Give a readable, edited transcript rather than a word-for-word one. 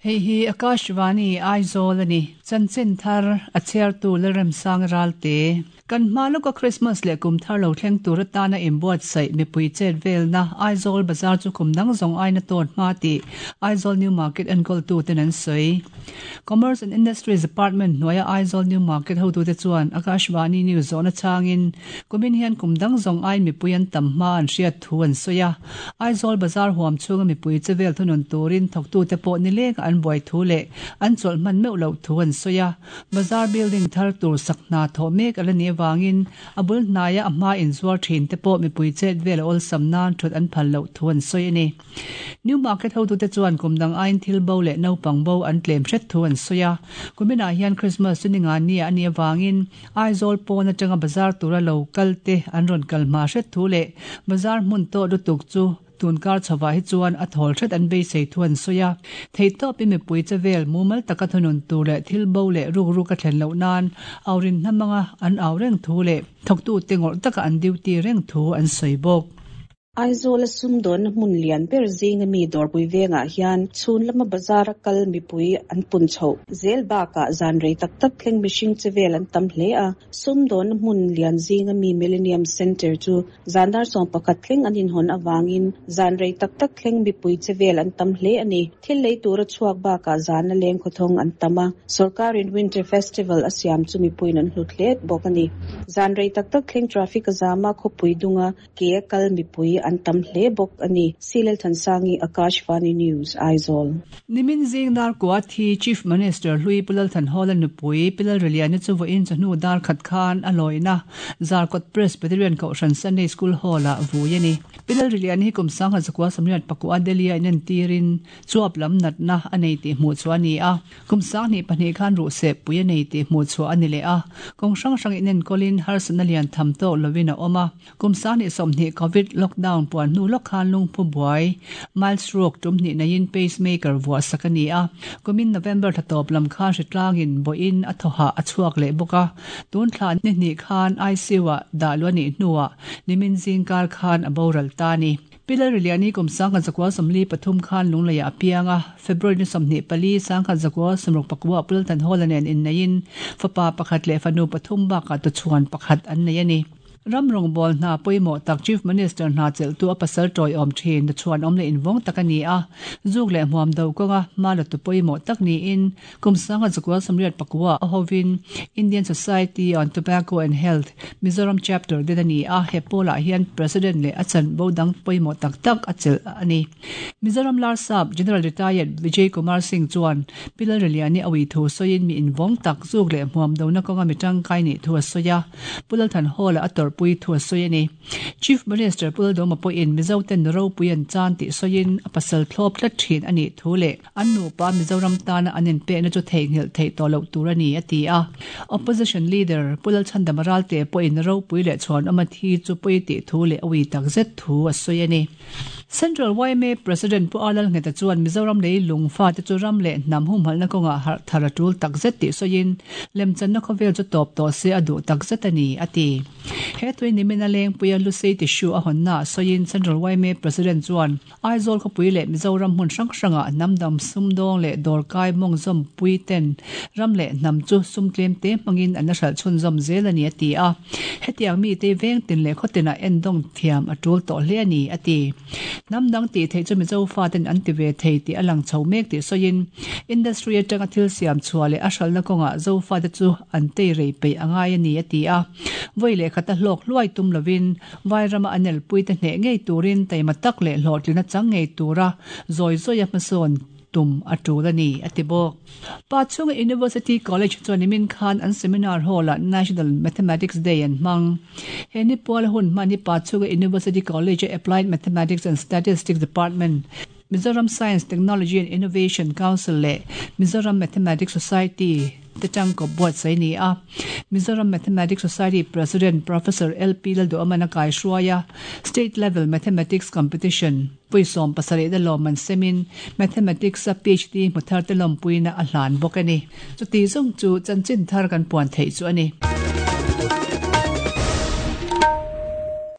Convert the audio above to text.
Hei hi Akashvani Aizawl a ni. Chanchin thar a chhiartu Lalremsang Ralte. Kan hma lawka Krismas leh kum thar lo thleng tur atana inbuatsaih mipui chet velna Aizawl bazar chu kum dang zawng aina tawt hma tih Aizawl New Market enkawltuten an sawi. Commerce and Industries Department hnuaia Aizawl New Market hotute chuan Akashvani News zawhna changin kumin hian kum dang zawng aiin mipui an tam hma an hriat thu an sawi a. Aizawl bazar huam chhunga mipui chevel thunun turin thawktute pawh nileng an buai thu leh an chawlh hman meuh loh thu an sawi a. Bazar building thar tur sak hna thawh mek a la nih avangin a bul hnaia a hma inzuar thin te pawh mipui chet vel a awlsam nan thut an phal loh thu an sawi a ni. New Market hotute chuan kum dang aiin thil bo leh naupang bo an tlem hret thu an sawi a. Kuminah hian Christmas chu ni nga nia a nih avangin Aizawl pawn atanga bazar tura lo kal te an rawn kal hma hret thu leh bazar hmun tawh lutuk chu tunkar chhovah hi chuan a thawl hret an beisei thu an sawi a. Theihtawpin mipui che vel mumal taka thunun tur leh thil bo leh rukruk a thlen loh nan aurin hnamanga an au reng thu leh thawktute ngawrh taka an duty reng thu an sawi bawk. Aizawla sumdawnna hmun lian ber zinga mi Dawrpui vengah hian chhun lama bazar a kal mipui an pun chhoh zel bakah zan rei tak tak thleng mihring che vel an tam hle a. Sumdawnna hmun lian zinga mi Millennium Centre chu zan dar 11 thleng an inhawn avangin zan rei tak tak thleng mipui che vel an tam hle a ni. Thil lei tura chhuak bakah zana leng khawthawng an tam a, sorkarin Winter Festival a siam chu mipuiin an hlut hle bawk a ni. Zan rei tak tak thleng traffic a zam a, khawpui dunga Ke a kal mipui an tam hle bawk a ni. Silel Thansangi, Akashvani News, Aizawl. Nimin zing dar kua thi Chief Minister Hlui Pu Lalthanhawla nupui Pi Lalriliana chu vawiin chawhnu dar khat khan a lawina Zarkawt Presbyterian Kohhran Sunday School Hall-ah vui a ni. Pi Lalriliana hi kum 1949 Delhi-a inentirin chuap lam natna a nei tih hmuh chhuah a ni a. Kum 2002 khan ruhseh pui a nei tih hmuh chhuah a ni leh a. Kawng hrang hrang inenkawlin harsatna lian tham tawk lovin a awm a. Kum 2020 Covid lockdown puan hnu lawk khan lungphu buai, mild stroke, tum hnih neiin pacemaker vuah sak a ni a. Kumin November thla tawp lam khan hritlangin bawhin a thawhah a chhuak leh bawk a. Tun thla ni hnih khan ICU-ah dah luh a nih hnuah nimin zingkar khan a boral ta a ni. Pi Lalriliani kum 1943 khan Lungleiah a piang a, February ni 24, 1964 Pu Lalthanhawla nen inneiin fapa pakhat leh fanu pathum bakah tuchhuan pakhat an nei a ni. Ram rawngbâwl hna pawimawh tak Chief Minister hna chelhtu a pasal tawiawm thin nuchhuan awm leh invawng tak a ni a, zuk leh hmuam do kawnga hma latu pawimawh tak niin kum 1989 a hovin Indian Society on Tobacco and Health, Mizoram Chapter din a ni a, he pawlah hian President leh a chanvo dang pawimawh tak tak a chelh a ni. Mizoram Larsap General Retired Vijay Kumar Singh chuan Pi Lalriliani a ui thu sawiin mi invawng tak zuk leh hmuam dona kawnga mi tangkai nih thu a sawi a. Pu Lalthanhawla a tawrhpui thu a sawi a ni. Chief Minister Pu Laldawma pawhin Mizoten nu ropui an chan tih sawiin a pasal thlawp tlat thin a nih thu leh an nupa Mizoram tana an inpekna chu theihnghilh theih tawh loh tur a ni a ti a. Opposition Leader Pu Lalchhandama Ralte pawhin ropui leh chhuanawma thi chu pawi tih thu leh a ui takzet thu a sawi a ni. Central yma President Pu Arlal Ngheta chuan Mizoram lei lung fate chu ram leh hnam humhalhna kawngah harh thar a tul takzet tih sawiin lemchanna khawvel chu tawp tawh se a duh takzet a ni, a ti. He tui nimin a lengpuia Lusei tissue a hawnnaah sawiin Central yma President chuan Aizawl khawpui leh Mizoram hmun hrang hrangah hnam dang sumdawng leh dawrkai mawngzawm pui ten ram leh hnam chu sum tlem te hmangin an la hralh chhunzawm zel a ni, a ti a. Hetiang mite veng tin leh khaw tinah endawng thiam a tul tawh hle a ni, a ti. Hnam dang tih theih chu Mizo faten an ti ve thei tih a lang chho mek tih sawiin, industry atanga thil siam chhuah leh a hralhna kawngah Zo fate chu an tei rei peih a ngai a ni, a ti a. Vawi leh khata hlawk hluai tum lovin, Vairama an elpuite hneh ngei turin taima tak leh hlawhtlina chang ngei tura zawi zawia hmasawn tum a tul a ni, a ti bawk. Pa chhunga University College chuan nimin khan an seminar hall-ah National Mathematics Day an hmang. He ni puala hun hman hi Pa chhunga University College-a Applied Mathematics and Statistics Department, Mizoram Science, Technology and Innovation Council leh Mizoram Mathematics Society te tangkawp buatsaih a ni a. Mizoram Mathematics Society President Professor LP Lalduhawman a kaihruai a, State Level Mathematics Competition, Puisawm pasarih na lawmman semin Mathematics-a PhD hmu tharte lawmpuina a hlan bawk a ni. Chuti zawng chu chanchin thar kan puan theih chu a ni.